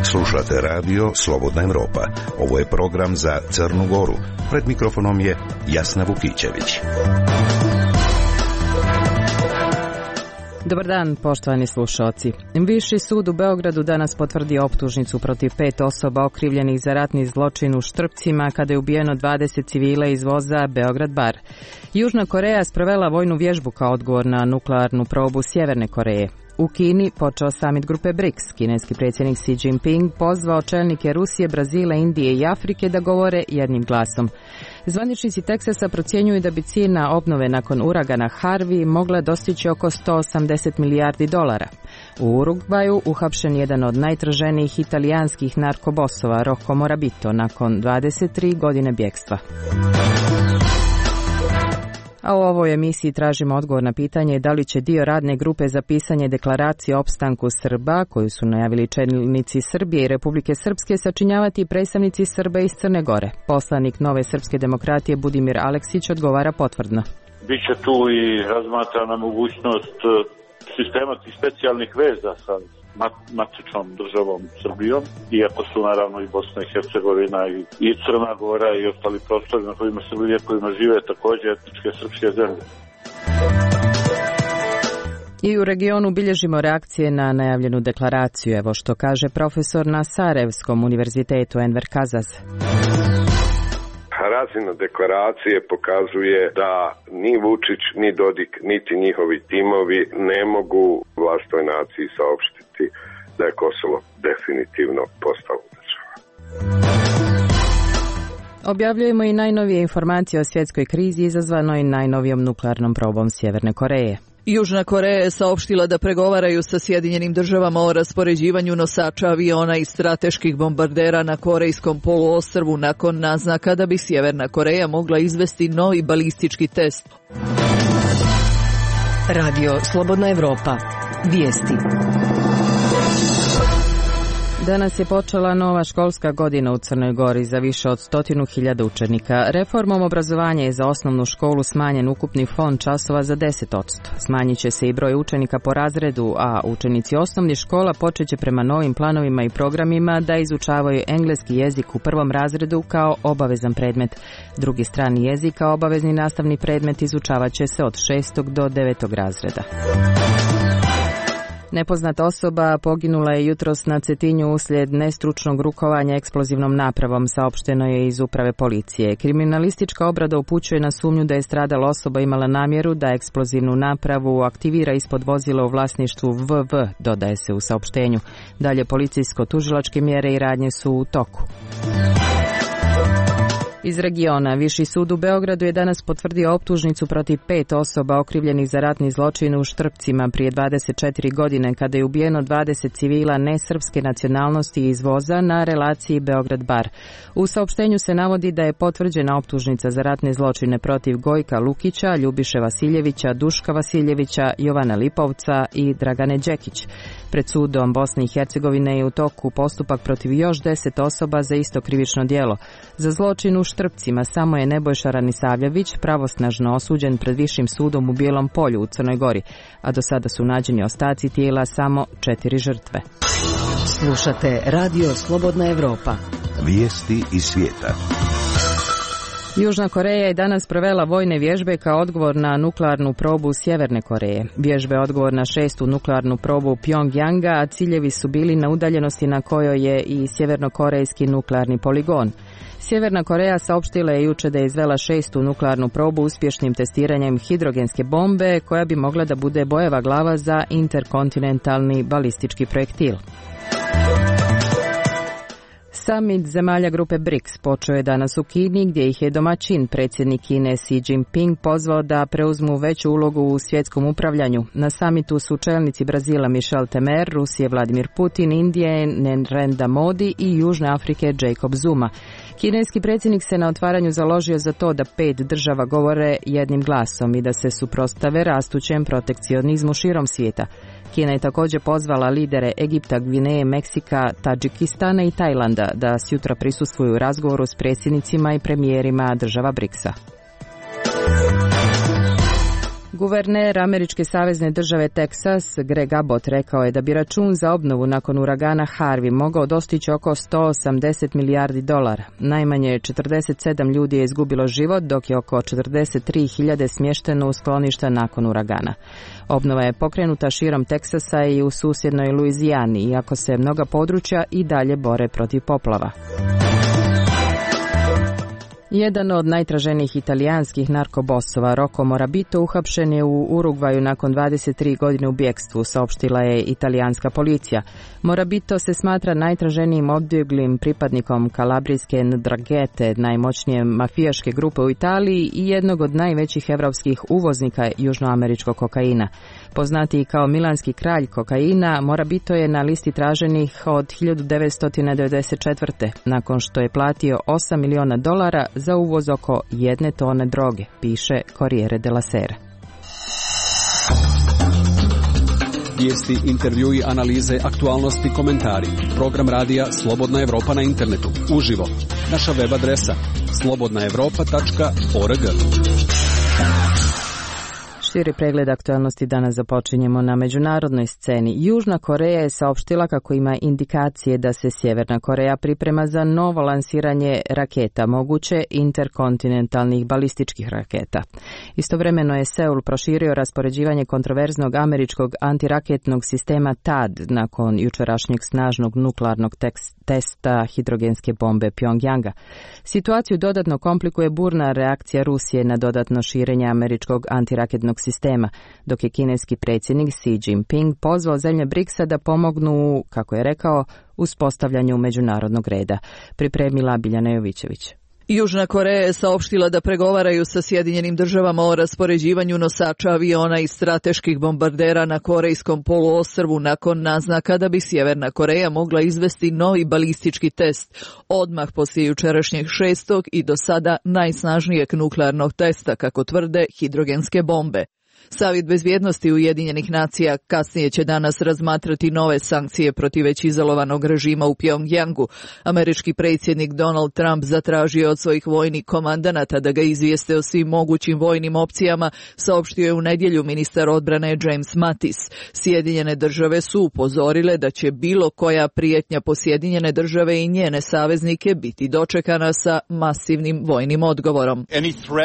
Slušate radio Slobodna Evropa. Ovo je program za Crnu Goru. Pred mikrofonom je Jasna Vukićević. Dobar dan, poštovani slušalci. Viši sud u Beogradu danas potvrdio optužnicu protiv 5 osoba okrivljenih za ratni zločin u Štrpcima kada je ubijeno 20 civila iz voza Beograd Bar. Južna Koreja sprovela vojnu vježbu kao odgovor na nuklearnu probu Sjeverne Koreje. U Kini počeo samit grupe BRICS. Kineski predsjednik Xi Jinping pozvao čelnike Rusije, Brazila, Indije i Afrike da govore jednim glasom. Zvaničnici Teksasa procjenjuju da bi cijena obnove nakon uragana Harvey mogla dostići oko $180 milijardi. U Urugvaju uhapšen jedan od najtraženijih italijanskih narkobosova, Rocco Morabito, nakon 23 godine bjekstva. A u ovoj emisiji tražimo odgovor na pitanje da li će dio radne grupe za pisanje deklaracije o opstanku Srba, koju su najavili čelnici Srbije i Republike Srpske, sačinjavati predstavnici Srba iz Crne Gore. Poslanik Nove srpske demokratije Budimir Aleksić odgovara potvrdno. Biće tu i razmatrana mogućnost sistema tih specijalnih veza sa matičnom državom Srbijom, iako su naravno i Bosna i Hercegovina i Crna Gora i ostali prostori na kojima kojima žive također etničke srpske zemlje. I u regionu bilježimo reakcije na najavljenu deklaraciju. Evo što kaže profesor na Sarajevskom univerzitetu Enver Kazaz. Razina deklaracije pokazuje da ni Vučić, ni Dodik, niti njihovi timovi ne mogu vlastnoj naciji saopštiti da je Kosovo definitivno postalo država. Objavljujemo i najnovije informacije o svjetskoj krizi izazvanoj najnovijom nuklearnom probom Sjeverne Koreje. Južna Koreja je saopštila da pregovaraju sa Sjedinjenim državama o raspoređivanju nosača aviona i strateških bombardera na Korejskom poluostrvu nakon naznaka da bi Sjeverna Koreja mogla izvesti novi balistički test. Radio Slobodna Evropa. Vijesti. Danas je počela nova školska godina u Crnoj Gori za više od 100.000 učenika. Reformom obrazovanja je za osnovnu školu smanjen ukupni fond časova za 10%. Smanjit će se i broj učenika po razredu, a učenici osnovnih škola počet će prema novim planovima i programima da izučavaju engleski jezik u prvom razredu kao obavezan predmet. Drugi strani jezik kao obavezni nastavni predmet izučavat će se od 6. do 9. razreda. Nepoznata osoba poginula je jutros na Cetinju uslijed nestručnog rukovanja eksplozivnom napravom, saopšteno je iz uprave policije. Kriminalistička obrada upućuje na sumnju da je stradala osoba imala namjeru da eksplozivnu napravu aktivira ispod vozila u vlasništvu VV, dodaje se u saopštenju. Dalje policijsko-tužilačke mjere i radnje su u toku. Iz regiona, Viši sud u Beogradu je danas potvrdio optužnicu protiv 5 osoba okrivljenih za ratni zločin u Štrpcima prije 24 godine kada je ubijeno 20 civila nesrpske nacionalnosti iz voza na relaciji Beograd-Bar. U saopštenju se navodi da je potvrđena optužnica za ratne zločine protiv Gojka Lukića, Ljubiše Vasiljevića, Duška Vasiljevića, Jovana Lipovca i Dragane Đekić. Pred sudom Bosne i Hercegovine je u toku postupak protiv još 10 osoba za isto krivično djelo. Za zločin u Štrpcima samo je Nebojša Ranisavljević pravosnažno osuđen pred Višim sudom u Bijelom Polju u Crnoj Gori, a do sada su nađeni ostaci tijela samo 4 žrtve. Slušate Radio Slobodna Evropa. Vijesti iz svijeta. Južna Koreja je danas provela vojne vježbe kao odgovor na nuklearnu probu Sjeverne Koreje. Vježbe je odgovor na 6. nuklearnu probu Pjongjanga, a ciljevi su bili na udaljenosti na kojoj je i sjevernokorejski nuklearni poligon. Sjeverna Koreja saopštila je jučer da je izvela 6. nuklearnu probu uspješnim testiranjem hidrogenske bombe koja bi mogla da bude bojeva glava za interkontinentalni balistički projektil. Samit zemalja grupe BRICS počeo je danas u Kini, gdje ih je domaćin predsjednik Kine Xi Jinping pozvao da preuzmu veću ulogu u svjetskom upravljanju. Na samitu su čelnici Brazila Michel Temer, Rusije Vladimir Putin, Indije Narendra Modi i Južne Afrike Jacob Zuma. Kineski predsjednik se na otvaranju založio za to da 5 država govore jednim glasom i da se suprotstave rastućem protekcionizmu širom svijeta. Kina je također pozvala lidere Egipta, Gvineje, Meksika, Tadžikistana i Tajlanda da sutra prisustvuju u razgovoru s predsjednicima i premijerima država BRICS-a. Guverner američke savezne države Teksas, Greg Abbott, rekao je da bi račun za obnovu nakon uragana Harvey mogao dostići oko $180 milijardi. Najmanje 47 ljudi je izgubilo život, dok je oko 43.000 smješteno u skloništa nakon uragana. Obnova je pokrenuta širom Teksasa i u susjednoj Luizijani, iako se mnoga područja i dalje bore protiv poplava. Jedan od najtraženijih italijanskih narkobosova, Rocco Morabito, uhapšen je u Urugvaju nakon 23 godine u bjekstvu, saopštila je italijanska policija. Morabito se smatra najtraženijim odbjeglim pripadnikom kalabrijske Ndranghete, najmoćnije mafijaške grupe u Italiji i jednog od najvećih evropskih uvoznika južnoameričkog kokaina. Poznatiji kao milanski kralj kokaina, Morabito je na listi traženih od 1994. nakon što je platio $8 miliona za uvoz oko 1 tone droge, piše Corriere della Sera. Vijesti, intervjui, analize, aktualnosti, komentari. Program radija Slobodna Evropa na internetu. Uživo. Naša web adresa slobodnaevropa.org. Širi pregled aktualnosti danas započinjemo na međunarodnoj sceni. Južna Koreja je saopštila kako ima indikacije da se Sjeverna Koreja priprema za novo lansiranje raketa, moguće interkontinentalnih balističkih raketa. Istovremeno je Seul proširio raspoređivanje kontroverznog američkog antiraketnog sistema THAAD nakon jučerašnjeg snažnog nuklearnog testa hidrogenske bombe Pyongyanga. Situaciju dodatno komplikuje burna reakcija Rusije na dodatno širenje američkog antiraketnog sistema, dok je kineski predsjednik Xi Jinping pozvao zemlje BRICS-a da pomognu, kako je rekao, uspostavljanju međunarodnog reda. Pripremila Biljana Jovićević. Južna Koreja je saopštila da pregovaraju sa Sjedinjenim državama o raspoređivanju nosača aviona i strateških bombardera na Korejskom poluostrvu nakon naznaka da bi Sjeverna Koreja mogla izvesti novi balistički test odmah poslije jučerašnjeg 6. i do sada najsnažnijeg nuklearnog testa, kako tvrde, hidrogenske bombe. Savjet bezbjednosti Ujedinjenih nacija kasnije će danas razmatrati nove sankcije protiv već izolovanog režima u Pyongyangu. Američki predsjednik Donald Trump zatražio od svojih vojnih komandanata da ga izvijeste o svim mogućim vojnim opcijama, saopštio je u nedjelju ministar odbrane James Mattis. Sjedinjene države su upozorile da će bilo koja prijetnja po Sjedinjene države i njene saveznike biti dočekana sa masivnim vojnim odgovorom.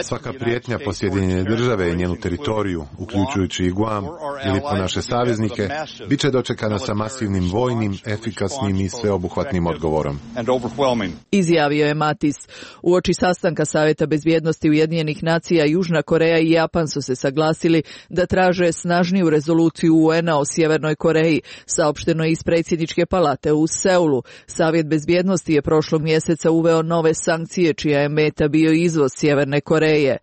Svaka prijetnja po Sjedinjene države i njenu teritoriju, uključujući i Guam ili po naše saveznike, bit će dočekana sa masivnim vojnim, efikasnim i sveobuhvatnim odgovorom. Izjavio je Mattis. Uoči sastanka Savjeta bezbjednosti Ujedinjenih nacija, Južna Koreja i Japan su se saglasili da traže snažniju rezoluciju UN-a o Sjevernoj Koreji, saopšteno iz predsjedničke palate u Seulu. Savjet bezbjednosti je prošlog mjeseca uveo nove sankcije čija je meta bio izvoz Sjeverne Koreje.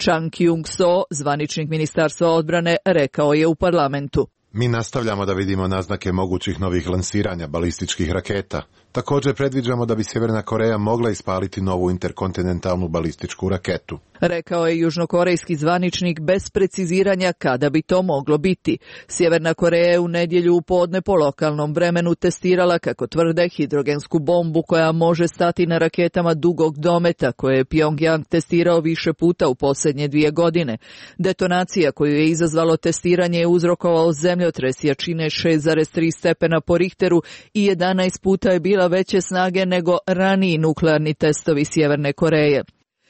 Chang Kyung-so, zvaničnik Ministarstva odbrane, rekao je u parlamentu. Mi nastavljamo da vidimo naznake mogućih novih lansiranja balističkih raketa. Također predviđamo da bi Sjeverna Koreja mogla ispaliti novu interkontinentalnu balističku raketu. Rekao je južnokorejski zvaničnik bez preciziranja kada bi to moglo biti. Sjeverna Koreja je u nedjelju u podne po lokalnom vremenu testirala, kako tvrde, hidrogensku bombu koja može stati na raketama dugog dometa koje je Pyongyang testirao više puta u posljednje 2 godine. Detonacija koju je izazvalo testiranje je uzrokovao zemljotres jačine 6,3 stepena po Richteru i 11 puta je bila veće snage nego raniji nuklearni testovi Sjeverne Koreje.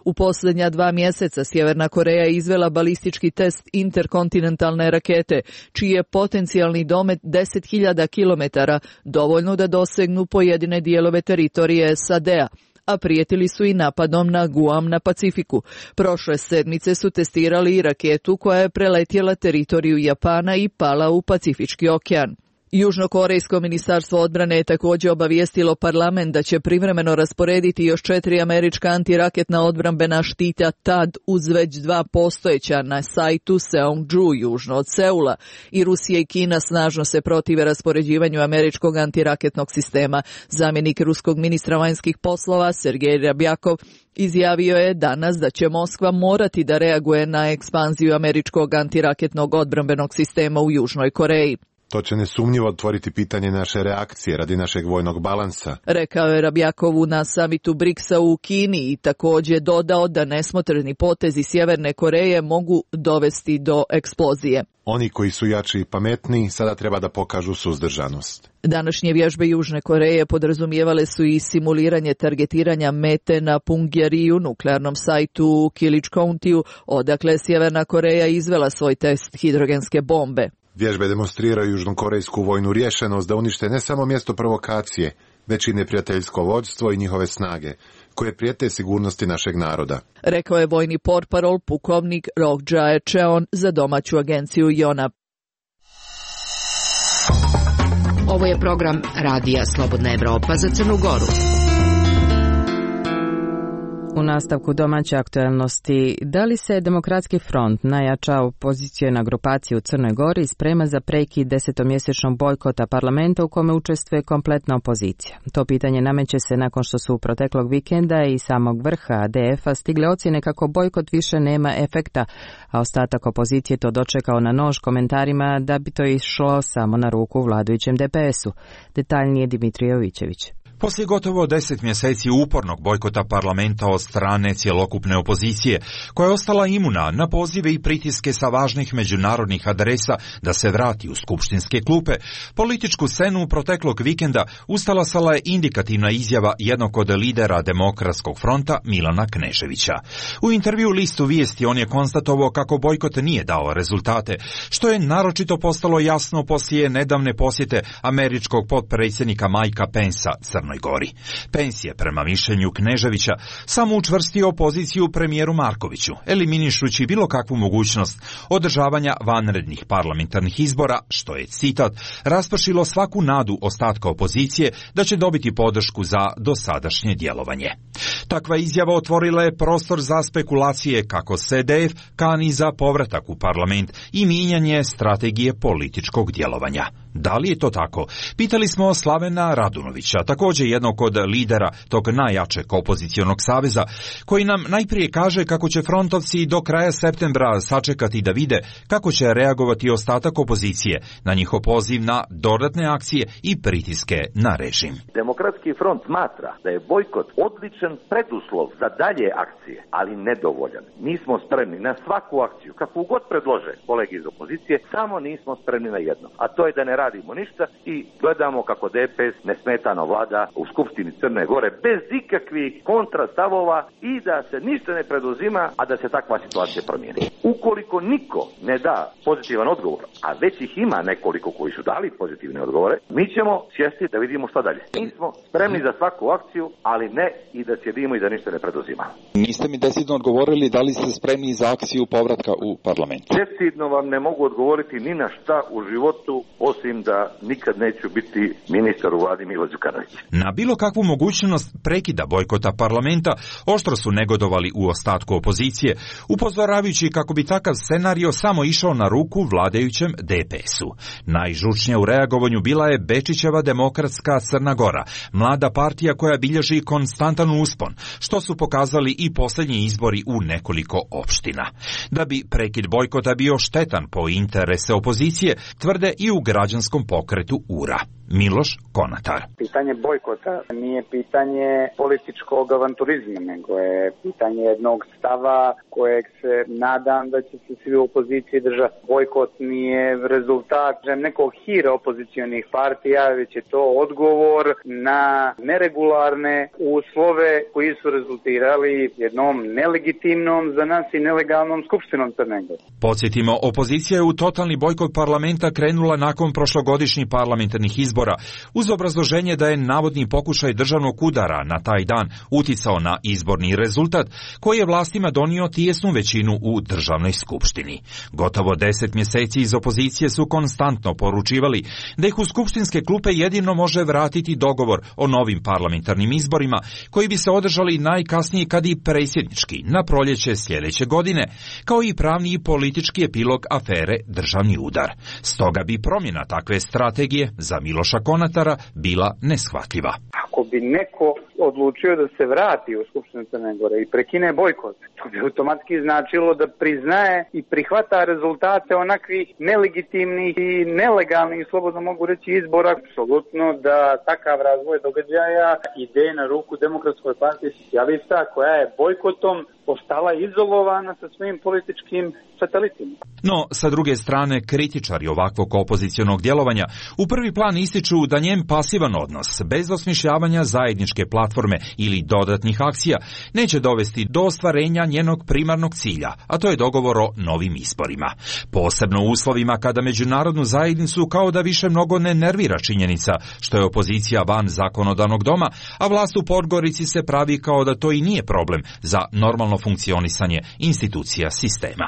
U posljednja 2 mjeseca Sjeverna Koreja je izvela balistički test interkontinentalne rakete, čiji je potencijalni domet 10.000 km, dovoljno da dosegnu pojedine dijelove teritorije SAD-a, a prijetili su i napadom na Guam na Pacifiku. Prošle sedmice su testirali i raketu koja je preletjela teritoriju Japana i pala u Pacifički okean. Južnokorejsko ministarstvo odbrane je također obavijestilo parlament da će privremeno rasporediti još 4 američka antiraketna odbrambena štita THAAD uz već 2 postojeća na sajtu Seongju južno od Seula. I Rusija i Kina snažno se protive raspoređivanju američkog antiraketnog sistema. Zamjenik ruskog ministra vanjskih poslova Sergej Ryabjakov izjavio je danas da će Moskva morati da reaguje na ekspanziju američkog antiraketnog odbrambenog sistema u Južnoj Koreji. To će nesumnjivo otvoriti pitanje naše reakcije radi našeg vojnog balansa. Rekao je Rabjakovu na samitu BRICS-a u Kini i također dodao da nesmotreni potezi Sjeverne Koreje mogu dovesti do eksplozije. Oni koji su jači i pametniji sada treba da pokažu suzdržanost. Današnje vježbe Južne Koreje podrazumijevale su i simuliranje targetiranja mete na Punggye-riu, nuklearnom sajtu u Killage County-u, odakle Sjeverna Koreja izvela svoj test hidrogenske bombe. Vježbe demonstriraju južnokorejsku vojnu rješenost da unište ne samo mjesto provokacije, već i neprijateljsko vođstvo i njihove snage, koje prijete sigurnosti našeg naroda. Rekao je vojni portparol pukovnik Roh Jae-cheon za domaću agenciju Yonhap. Ovo je program Radija Slobodna Evropa za Crnu Goru. U nastavku domaće aktuelnosti, da li se Demokratski front, najjača opoziciona grupacija u Crnoj Gori, sprema za prekid 10-mjesečnog bojkota parlamenta u kome učestvuje kompletna opozicija? To pitanje nameće se nakon što su proteklog vikenda i samog vrha ADF-a stigle ocjene kako bojkot više nema efekta, a ostatak opozicije to dočekao na nož komentarima da bi to išlo samo na ruku vladajućem DPS-u. Detaljnije Dimitrije Jovićević. Poslije gotovo 10 mjeseci upornog bojkota parlamenta od strane cjelokupne opozicije, koja je ostala imuna na pozive i pritiske sa važnih međunarodnih adresa da se vrati u skupštinske klupe, političku scenu proteklog vikenda ustalasala je indikativna izjava jednog od lidera Demokratskog fronta Milana Kneževića. U intervju listu Vijesti on je konstatovao kako bojkot nije dao rezultate, što je naročito postalo jasno poslije nedavne posjete američkog potpredsjednika Mikea Pencea Crnoj Gori. Pence je, prema mišljenju Kneževića, samo učvrstio poziciju premijeru Markoviću, eliminišući bilo kakvu mogućnost održavanja vanrednih parlamentarnih izbora, što je, citat, raspršilo svaku nadu ostatka opozicije da će dobiti podršku za dosadašnje djelovanje. Takva izjava otvorila je prostor za spekulacije kako SDF kani za povratak u parlament i mijenjanje strategije političkog djelovanja. Da li je to tako? Pitali smo Slavena Radunovića, također jednog od lidera tog najjačeg opozicionog saveza, koji nam najprije kaže kako će frontovci do kraja septembra sačekati da vide kako će reagovati ostatak opozicije na njihov poziv na dodatne akcije i pritiske na režim. Demokratski front smatra da je bojkot odličan preduslov za dalje akcije, ali nedovoljan. Mi smo spremni na svaku akciju, kakvu god predlože kolege iz opozicije, samo nismo spremni na jedno, a to je da ne radimo ništa i gledamo kako DPS nesmetano vlada u Skupštini Crne Gore bez ikakvih kontrastavova i da se ništa ne preduzima, a da se takva situacija promijeni. Ukoliko niko ne da pozitivan odgovor, a već ih ima nekoliko koji su dali pozitivne odgovore, mi ćemo sjesti da vidimo šta dalje. Mi smo spremni za svaku akciju, ali ne i da sjedimo i da ništa ne preduzima. Niste mi decidno odgovorili da li ste spremni za akciju povratka u parlament. Decidno vam ne mogu odgovoriti ni na šta u životu, osim da nikad neću biti ministar u vladi Milo Đukanović. Na bilo kakvu mogućnost prekida bojkota parlamenta oštro su negodovali u ostatku opozicije, upozoravajući kako bi takav scenario samo išao na ruku vladajućem DPS-u. Najžučnija u reagovanju bila je Bečićeva Demokratska Crna Gora, mlada partija koja bilježi konstantan uspon, što su pokazali i posljednji izbori u nekoliko opština. Da bi prekid bojkota bio štetan po interese opozicije, tvrde i u građanskom pokretu URA. Miloš Konatar. Pitanje bojkota nije pitanje političkog avanturizma, nego je pitanje jednog stava kojeg se nadam da će se svi u opoziciji držati. Bojkot nije rezultat nekog hira opozicionih partija, već je to odgovor na neregularne uslove koji su rezultirali jednom nelegitimnom za nas i nelegalnom skupštinom Crne Gore. Podsjetimo, opozicija je u totalni bojkot parlamenta krenula nakon prošlogodišnjih parlamentarnih izbora, uz obrazloženje da je navodni pokušaj državnog udara na taj dan uticao na izborni rezultat koji je vlastima donio tijesnu većinu u državnoj skupštini. Gotovo 10 mjeseci iz opozicije su konstantno poručivali da ih u skupštinske klupe jedino može vratiti dogovor o novim parlamentarnim izborima koji bi se održali najkasnije kad i predsjednički na proljeće sljedeće godine, kao i pravni i politički epilog afere državni udar. Stoga bi promjena takve strategije za Miloša Miloša Konatara bila neshvatljiva. Ako bi neko odlučio da se vrati u Skupštinu Crne Gore i prekine bojkot, to bi automatski značilo da priznaje i prihvata rezultate onakvih nelegitimnih i nelegalnih, slobodno mogu reći, izbora. Apsolutno da takav razvoj događaja ide na ruku Demokratskoj partiji socijalista, koja je bojkotom ostala izolovana sa svojim političkim satelitima. No, sa druge strane, kritičari ovakvog opozicionog djelovanja u prvi plan ističu da njen pasivan odnos, bez osmišljavanja zajedničke platforme ili dodatnih akcija, neće dovesti do ostvarenja njenog primarnog cilja, a to je dogovor o novim izborima. Posebno u uslovima kada međunarodnu zajednicu kao da više mnogo ne nervira činjenica što je opozicija van zakonodavnog doma, a vlast u Podgorici se pravi kao da to i nije problem za normalno funkcionisanje institucija sistema.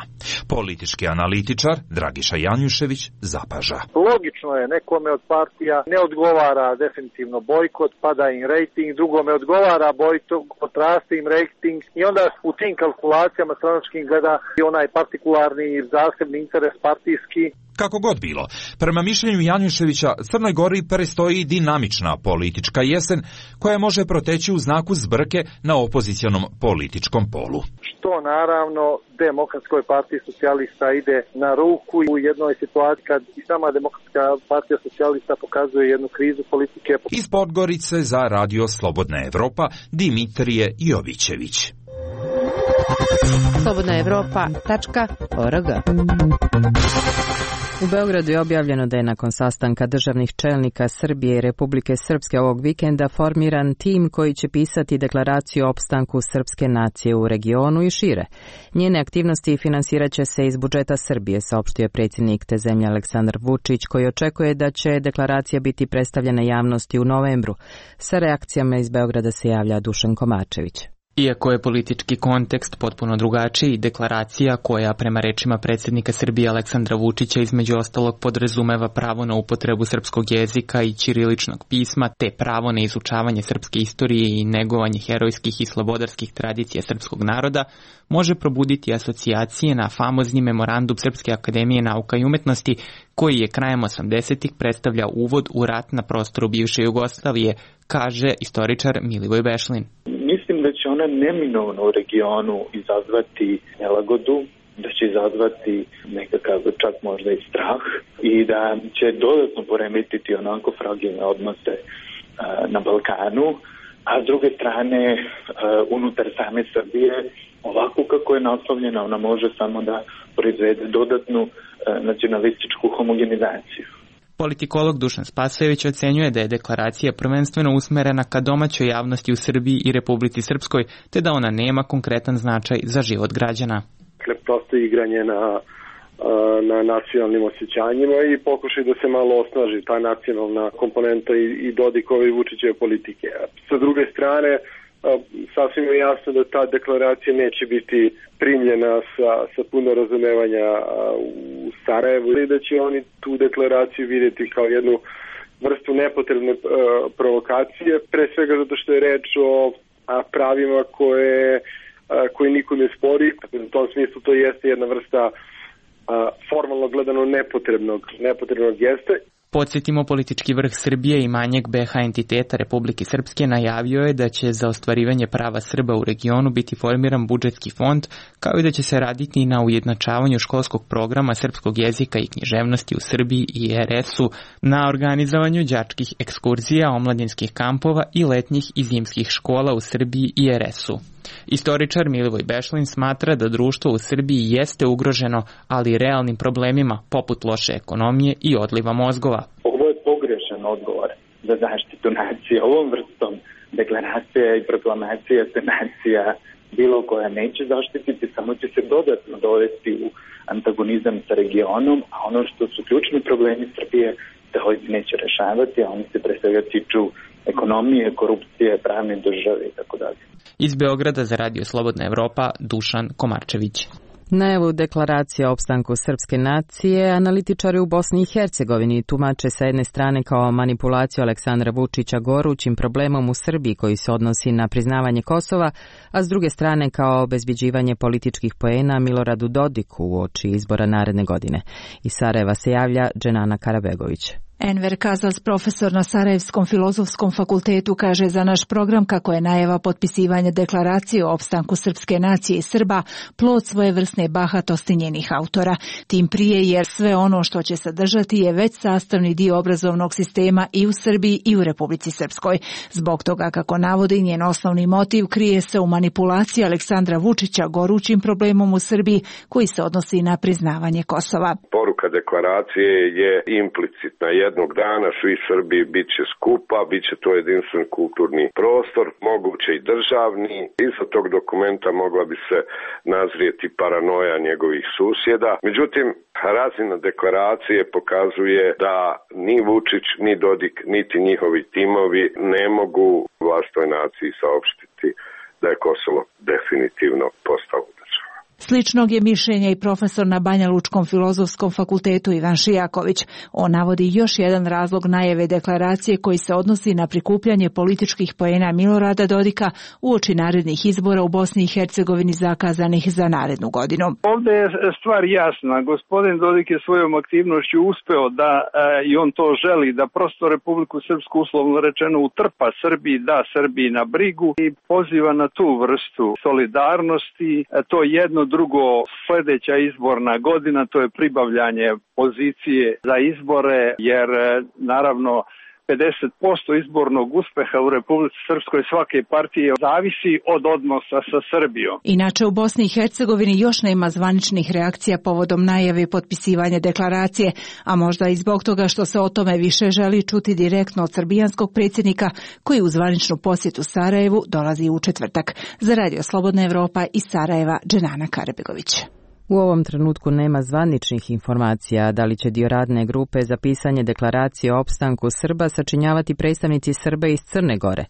Politički analitičar Dragiša Janjušević zapaža. Logično je, nekome od partija ne odgovara definitivno bojkot, pada im rejting, drugome odgovara bojkot, raste im rejting i onda u tim kalkulacijama stranačkim gleda i onaj partikularni zasebni interes partijski. Kako god bilo, prema mišljenju Janjuševića, Crnoj Gori predstoji dinamična politička jesen koja može proteći u znaku zbrke na opozicionom političkom polu. Što naravno Demokratskoj partiji socijalista ide na ruku u jednoj situaciji kad i sama Demokratska partija socijalista pokazuje jednu krizu politike. Iz Podgorice za Radio Slobodna Evropa Dimitrije Jovićević. slobodnaevropa.org. U Beogradu je objavljeno da je nakon sastanka državnih čelnika Srbije i Republike Srpske ovog vikenda formiran tim koji će pisati deklaraciju o opstanku srpske nacije u regionu i šire. Njene aktivnosti finansirat će se iz budžeta Srbije, saopštio je predsjednik te zemlje Aleksandar Vučić, koji očekuje da će deklaracija biti predstavljena javnosti u novembru. Sa reakcijama iz Beograda se javlja Dušan Komarčević. Iako je politički kontekst potpuno drugačiji, deklaracija koja prema rečima predsjednika Srbije Aleksandra Vučića između ostalog podrazumeva pravo na upotrebu srpskog jezika i ćiriličnog pisma, te pravo na izučavanje srpske istorije i negovanje herojskih i slobodarskih tradicija srpskog naroda, može probuditi asocijacije na famozni memorandum Srpske akademije nauka i umetnosti, koji je krajem 80-ih predstavlja uvod u rat na prostoru bivše Jugoslavije, kaže istoričar Milivoj Bešlin. Mislim da će ona neminovno u regionu izazvati nelagodu, da će izazvati nekakav čak možda i strah i da će dodatno poremetiti onako fragilne odnose na Balkanu, a s druge strane unutar same Srbije ovako kako je naslovljena ona može samo da proizvede dodatnu nacionalističku homogenizaciju. Politikolog Dušan Spasojević ocenjuje da je deklaracija prvenstveno usmerena ka domaćoj javnosti u Srbiji i Republici Srpskoj, te da ona nema konkretan značaj za život građana. Prosto igranje na nacionalnim osjećanjima i pokušaj da se malo osnaži ta nacionalna komponenta i Dodikove i Vučićeve politike. Sa druge strane, sasvim je jasno da ta deklaracija neće biti primljena sa puno razumevanja u Sarajevu i da će oni tu deklaraciju vidjeti kao jednu vrstu nepotrebne provokacije, pre svega zato što je reč o pravima koje niko ne spori. U tom smislu to jeste jedna vrsta formalno gledano nepotrebnog gesta. Podsjetimo, politički vrh Srbije i manjeg BH entiteta Republike Srpske najavio je da će za ostvarivanje prava Srba u regionu biti formiran budžetski fond, kao i da će se raditi na ujednačavanju školskog programa srpskog jezika i književnosti u Srbiji i RS-u, na organizovanju đačkih ekskurzija, omladinskih kampova i letnjih i zimskih škola u Srbiji i RS-u. Istoričar Milivoj Bešlin smatra da društvo u Srbiji jeste ugroženo, ali realnim problemima poput loše ekonomije i odliva mozgova. Ovo je pogrešan odgovor za zaštitu nacije. Ovom vrstom deklaracija i proklamacija se nacija bilo koja neće zaštititi, samo će se dodatno dovesti u antagonizam sa regionom, a ono što su ključni problemi Srbije se ovdje neće rešavati, a oni se pre svega tiču ekonomije, korupcije, pravne države i tako dalje. Iz Beograda za Radio Slobodna Evropa, Dušan Komarčević. Najavu deklaracije o opstanku srpske nacije analitičari u Bosni i Hercegovini tumače sa jedne strane kao manipulaciju Aleksandra Vučića gorućim problemom u Srbiji koji se odnosi na priznavanje Kosova, a s druge strane kao obezbeđivanje političkih poena Miloradu Dodiku uoči izbora naredne godine. Iz Sarajeva se javlja Dženana Karabegović. Enver Kazas, profesor na Sarajevskom filozofskom fakultetu, kaže za naš program kako je najava potpisivanja deklaracije o opstanku srpske nacije i Srba plod svojevrsne bahatosti njenih autora. Tim prije jer sve ono što će sadržati je već sastavni dio obrazovnog sistema i u Srbiji i u Republici Srpskoj. Zbog toga, kako navodi, njen osnovni motiv krije se u manipulaciji Aleksandra Vučića gorućim problemom u Srbiji koji se odnosi na priznavanje Kosova. Poruka deklaracije je implicitna. Jednog dana svi Srbi bit će skupa, bit će to jedinstven kulturni prostor, moguće i državni. Iza tog dokumenta mogla bi se nazrijeti paranoja njegovih susjeda. Međutim, razina deklaracije pokazuje da ni Vučić, ni Dodik, niti njihovi timovi ne mogu vlastnoj naciji saopštiti da je Kosovo definitivno postalo država. Sličnog je mišljenja i profesor na Banja Lučkom filozofskom fakultetu Ivan Šijaković. On navodi još jedan razlog najave deklaracije koji se odnosi na prikupljanje političkih poena Milorada Dodika uoči narednih izbora u Bosni i Hercegovini zakazanih za narednu godinu. Ovdje je stvar jasna. Gospodin Dodik je svojom aktivnošću uspeo da, i on to želi, da prosto Republiku Srpsku uslovno rečeno utrpa Srbiji, da Srbiji na brigu i poziva na tu vrstu solidarnosti. To je jedno. Drugo, sljedeća izborna godina, to je pribavljanje pozicije za izbore, jer naravno 50% izbornog uspeha u Republici Srpskoj svake partije zavisi od odnosa sa Srbijom. Inače, u Bosni i Hercegovini još nema zvaničnih reakcija povodom najave potpisivanja deklaracije, a možda i zbog toga što se o tome više želi čuti direktno od srbijanskog predsjednika koji u zvaničnu posjetu Sarajevu dolazi u četvrtak. Za Radio Slobodna Evropa iz Sarajeva, Dženana Karabegović. U ovom trenutku nema zvaničnih informacija da li će dio radne grupe za pisanje deklaracije o opstanku Srba sačinjavati predstavnici Srba iz Crne Gore.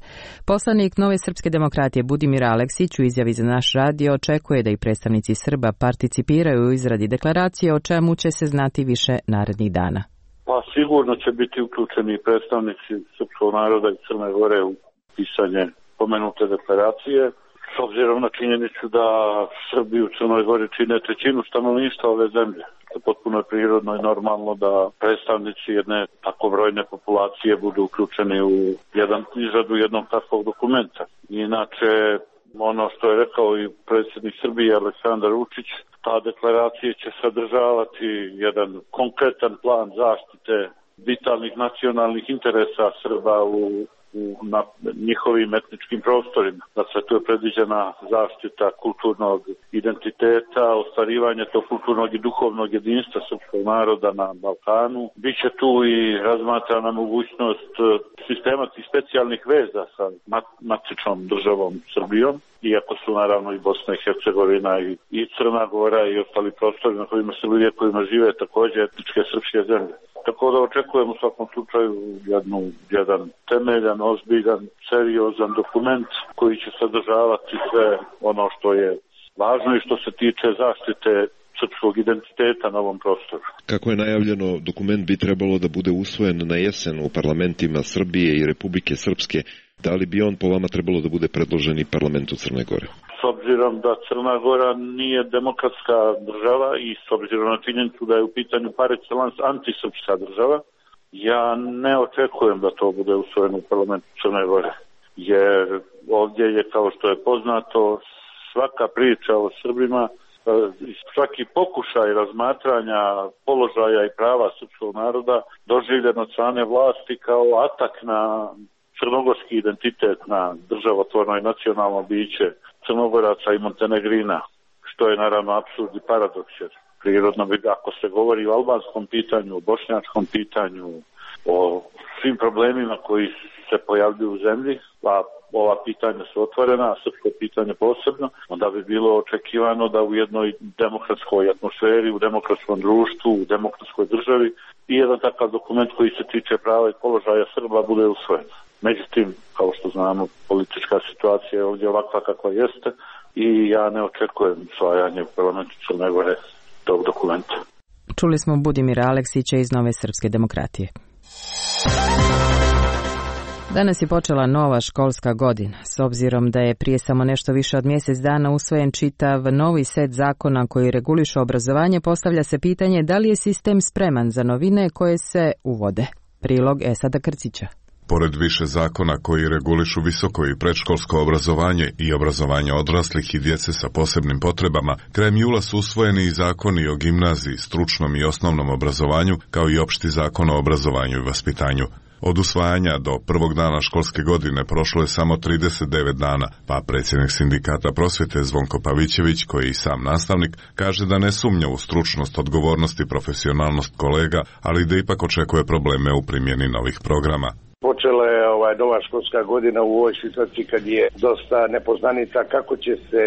Poslanik Nove srpske demokratije Budimir Aleksić u izjavi za naš radio očekuje da i predstavnici Srba participiraju u izradi deklaracije, o čemu će se znati više narednih dana. Pa sigurno će biti uključeni predstavnici srpskog naroda i Crne Gore u pisanje pomenute deklaracije. S obzirom na činjenicu da Srbi u Crnoj Gori čine trećinu stanovništva ove zemlje, to je potpuno prirodno i normalno da predstavnici jedne tako brojne populacije budu uključeni u izradu jednog takvog dokumenta. Inače, ono što je rekao i predsjednik Srbije Aleksandar Vučić, ta deklaracija će sadržavati jedan konkretan plan zaštite vitalnih nacionalnih interesa Srba na njihovim etničkim prostorima. Dakle, tu je predviđena zaštita kulturnog identiteta, ostvarivanje tog kulturnog i duhovnog jedinstva srpskog naroda na Balkanu. Biće tu i razmatrana mogućnost sistema tih specijalnih veza sa matičnom državom Srbijom, iako su naravno i Bosna i Hercegovina i Crna Gora i ostali prostori na kojima žive također etničke srpske zemlje. Tako da očekujem u svakom slučaju jedan temeljan, ozbiljan, seriozan dokument koji će sadržavati sve ono što je važno i što se tiče zaštite srpskog identiteta na ovom prostoru. Kako je najavljeno, dokument bi trebalo da bude usvojen na jesen u parlamentima Srbije i Republike Srpske. Da li bi on po vama trebalo da bude predložen i parlamentu Crne Gore? S obzirom da Crna Gora nije demokratska država i s obzirom na činjenicu da je u pitanju par excellence antisrpska država, ja ne očekujem da to bude usvojeno u parlamentu Crne Gore. Jer ovdje je, kao što je poznato, svaka priča o Srbima, svaki pokušaj razmatranja položaja i prava srpskog naroda doživljen od strane vlasti kao atak na crnogorski identitet, na državotvorno i nacionalno biće Crnogoraca i Montenegrina, što je naravno apsurd i paradoks. Prirodno bi, ako se govori o albanskom pitanju, o bošnjačkom pitanju, o svim problemima koji se pojavljuju u zemlji, a ova pitanja su otvorena, a srpsko pitanje posebno, onda bi bilo očekivano da u jednoj demokratskoj atmosferi, u demokratskom društvu, u demokratskoj državi i jedan takav dokument koji se tiče prava i položaja Srba bude usvojen. Međutim, kao što znamo, politička situacija je ovdje ovakva kakva jeste i ja ne očekujem usvajanje u parlamentu Crne Gore tog dokumenta. Čuli smo Budimira Aleksića iz Nove srpske demokratije. Danas je počela nova školska godina. S obzirom da je prije samo nešto više od mjesec dana usvojen čitav novi set zakona koji regulišu obrazovanje, postavlja se pitanje da li je sistem spreman za novine koje se uvode. Prilog Esada Krcića. Pored više zakona koji regulišu visoko i predškolsko obrazovanje i obrazovanje odraslih i djece sa posebnim potrebama, krajem jula su usvojeni i zakoni o gimnaziji, stručnom i osnovnom obrazovanju, kao i opšti zakon o obrazovanju i vaspitanju. Od usvajanja do prvog dana školske godine prošlo je samo 39 dana, pa predsjednik sindikata prosvjete Zvonko Pavićević, koji je i sam nastavnik, kaže da ne sumnja u stručnost, odgovornost i profesionalnost kolega, ali da ipak očekuje probleme u primjeni novih programa. Počela je nova školska godina u ovoj situaciji kad je dosta nepoznanica kako će se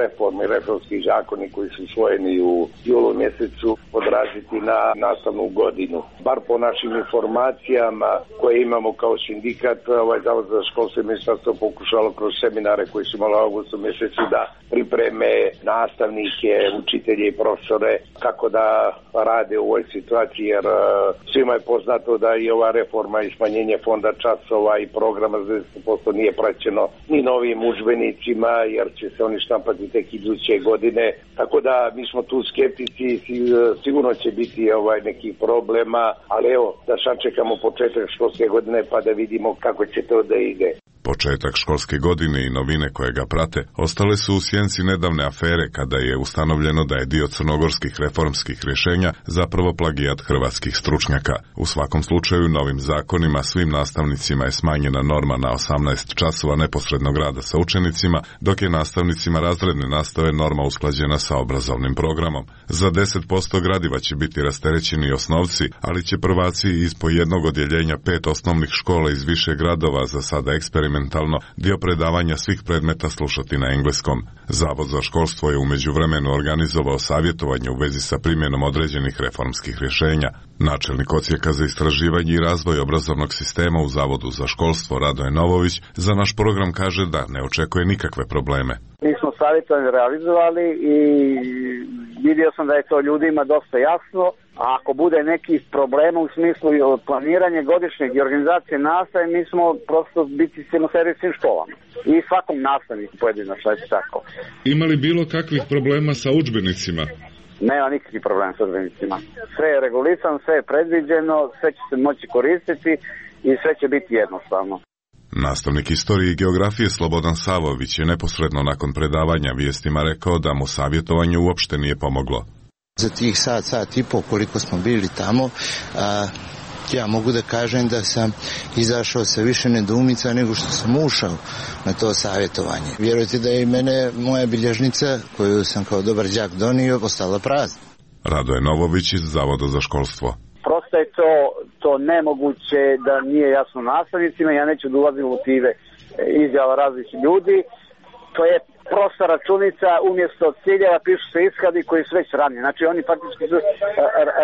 reforme i reformski zakoni koji su usvojeni u julu mjesecu odraziti na nastavnu godinu. Bar po našim informacijama koje imamo kao sindikat, Zavod za školstvo i ministarstvo pokušalo kroz seminare koji su imali u augustu mjesecu da pripreme nastavnike, učitelje i profesore kako da rade u ovoj situaciji, jer svima je poznato da i ova reforma i smanjenje fonda časova i programa za 10% nije praćeno ni novim udžbenicima, jer će se oni štampati tek iduće godine. Tako da mi smo tu skeptici, sigurno će biti nekih problema, ali evo da sačekamo početak školske godine pa da vidimo kako će to da ide. Početak školske godine i novine koje ga prate ostale su u sjenci nedavne afere kada je ustanovljeno da je dio crnogorskih reformskih rješenja zapravo plagijat hrvatskih stručnjaka. U svakom slučaju novim zakonima svim nastavnicima je smanjena norma na 18 časova neposrednog rada sa učenicima, dok je nastavnicima razredne nastave norma usklađena sa obrazovnim programom. Za 10% gradiva će biti rasterećeni osnovci, ali će prvaci iz po jednog odjeljenja 5 osnovnih škola iz više gradova za sada eksperimentalno dio predavanja svih predmeta slušati na engleskom. Zavod za školstvo je u međuvremenu organizovao savjetovanje u vezi sa primjenom određenih reformskih rješenja. Načelnik odsjeka za istraživanje i razvoj obrazovnog sistema u Zavodu za školstvo Radoje Novović za naš program kaže da ne očekuje nikakve probleme. Mi smo savjetovanje realizovali i vidio sam da je to ljudima dosta jasno, a ako bude nekih problema u smislu planiranja godišnjeg i organizacije nastave, mi smo prosto biti servis svim školama i svakom nastavniku pojedinačno, tako. Ima li bilo kakvih problema sa udžbenicima? Nema nikakvih problema sa udžbenicima. Sve je regulisano, sve je predviđeno, sve će se moći koristiti i sve će biti jednostavno. Nastavnik istorije i geografije Slobodan Savović je neposredno nakon predavanja vijestima rekao da mu savjetovanje uopšte nije pomoglo. Za tih sat i pol koliko smo bili tamo, ja mogu da kažem da sam izašao sa više nedoumica nego što sam ušao na to savjetovanje. Vjerujte da je i mene moja bilježnica, koju sam kao dobar đak donio, ostala prazna. Radoje Novović iz Zavoda za školstvo. Prosto je to nemoguće da nije jasno nastavnicima, ja neću da ulazim u motive izjava različitih ljudi. To je prosta računica, umjesto ciljeva pišu se ishodi koji su već ranije. Znači oni faktički su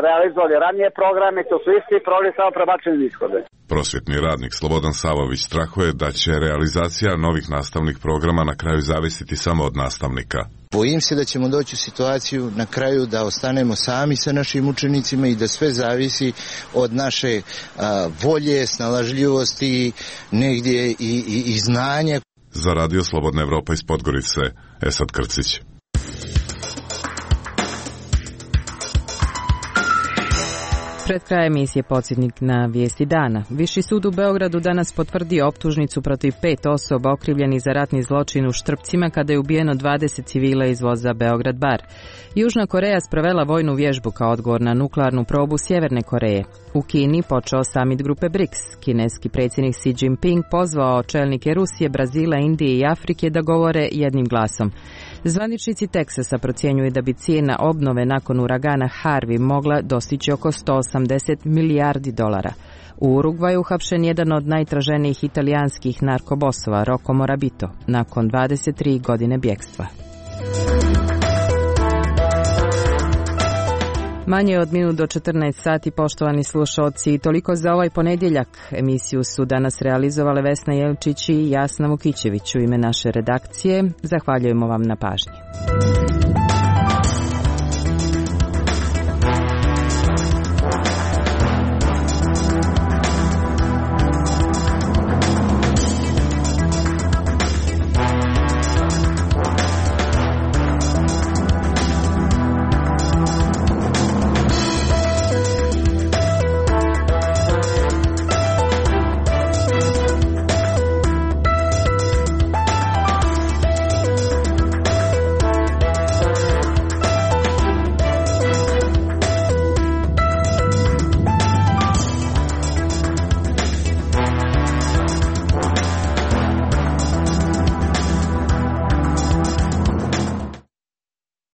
realizovali ranije programe, to su isti programi, samo prebačeni ishode. Prosvjetni radnik Slobodan Savović strahuje da će realizacija novih nastavnih programa na kraju zavisiti samo od nastavnika. Bojim se da ćemo doći u situaciju na kraju da ostanemo sami sa našim učenicima i da sve zavisi od naše volje, snalažljivosti, negdje i znanja. Za Radio Slobodna Evropa iz Podgorice, Esad Krcić. Pred kraj emisije podsjetnik na vijesti dana. Viši sud u Beogradu danas potvrdio optužnicu protiv 5 osoba okrivljenih za ratni zločin u Štrpcima kada je ubijeno 20 civila iz voza Beograd Bar. Južna Koreja sprovela vojnu vježbu kao odgovor na nuklearnu probu Sjeverne Koreje. U Kini počeo samit grupe BRICS. Kineski predsjednik Xi Jinping pozvao čelnike Rusije, Brazila, Indije i Afrike da govore jednim glasom. Zvaničnici Teksasa procjenjuju da bi cijena obnove nakon uragana Harvey mogla dostići oko 180 milijardi dolara. U Urugvaju uhapšen jedan od najtraženijih italijanskih narkobosova, Rocco Morabito, nakon 23 godine bjekstva. Manje od minut do 14 sati, poštovani slušalci, toliko za ovaj ponedjeljak. Emisiju su danas realizovale Vesna Jelčić i Jasna Vukićević. U ime naše redakcije zahvaljujemo vam na pažnji.